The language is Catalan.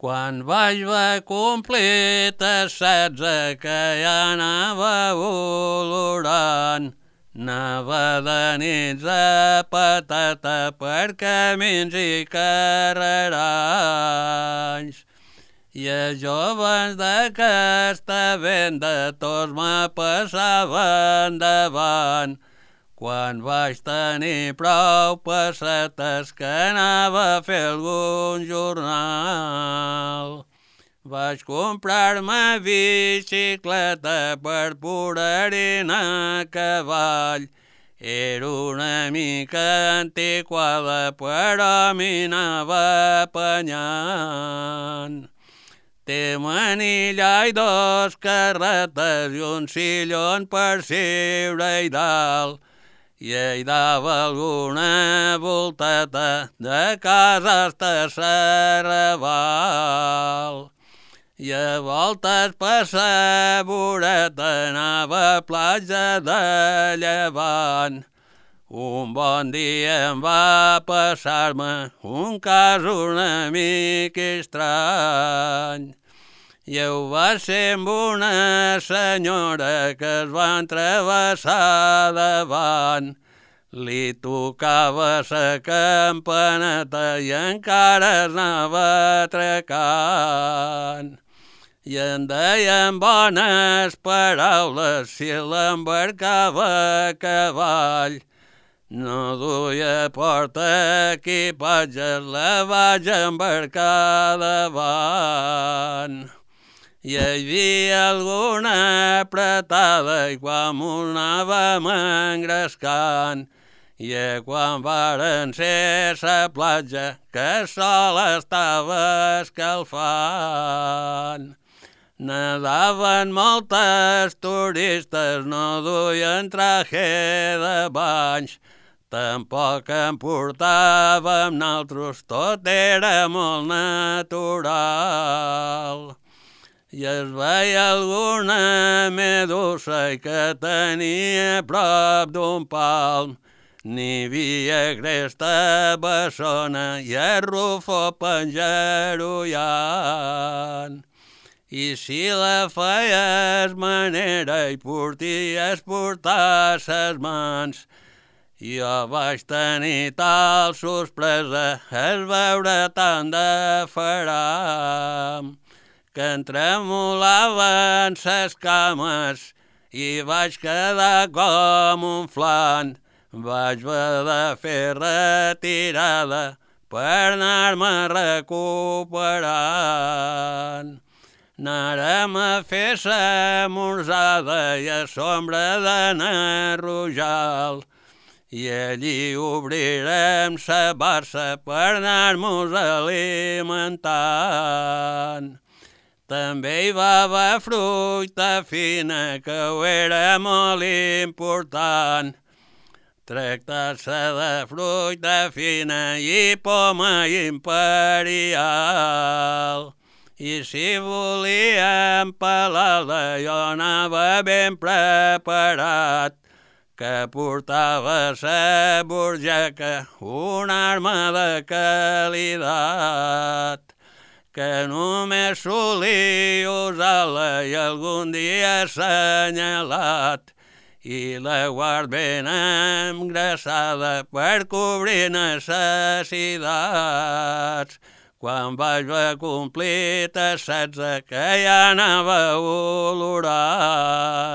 Quan vaig complir 16 que ja anava olorant, anava de nits a patata per camins i carreranys. I els joves d'aquesta venda tots me passaven davant. Quan vaig tenir prou pessetes que anava a fer algun jornal, vaig comprar-me bicicleta per poder-hi anar a cavall. Era una mica antiquada, però m'hi anava apanyant. Té manilla i 2 carretes i un sillon per seure-hi dalt. I hi dava alguna volteta de casa hasta Serrabal. I a voltes per sa voreta anava a platja de Llevant. Un bon dia em va passar-me un cas una mica estrany. I va ser amb una senyora que es va travessar davant. Li tocava sa campaneta i encara es anava atracant. I en deien bones paraules si l'embarcava a cavall. No duia porta equipatge, la vaig embarcar davant. Hi havia alguna apretada i quan m'ho anàvem engrescant. I quan varen ser sa platja que el sol estava escalfant. Nadaven moltes turistes, no duien traje de banys. Tampoc en portàvem naltros, tot era molt natural. I es veia alguna medusa que tenia prop d'un palm. N'hi havia cresta bessona i el rufo penjarollant. I si la feies manera i porties portar ses mans, jo vaig tenir tal sorpresa es veure tant de faram que em tremolaven ses cames i vaig quedar com un flan. Vaig haver de fer retirada per anar-me recuperant. Anarem a fer sa morzada i a sombra de Narrujal. I allí obrirem sa barça per anar-mos alimentant. També hi va haver fruita fina, que ho era molt important. Tractar-se de fruita fina i poma imperial. I si volíem pelar-la jo anava ben preparat, que portava sa burjaca una arma de qualitat, que només solia usar-la i algun dia assenyalat, i la guard ben engraçada per cobrir necessitats. Quan vaig complir 16 que ja anava olorant.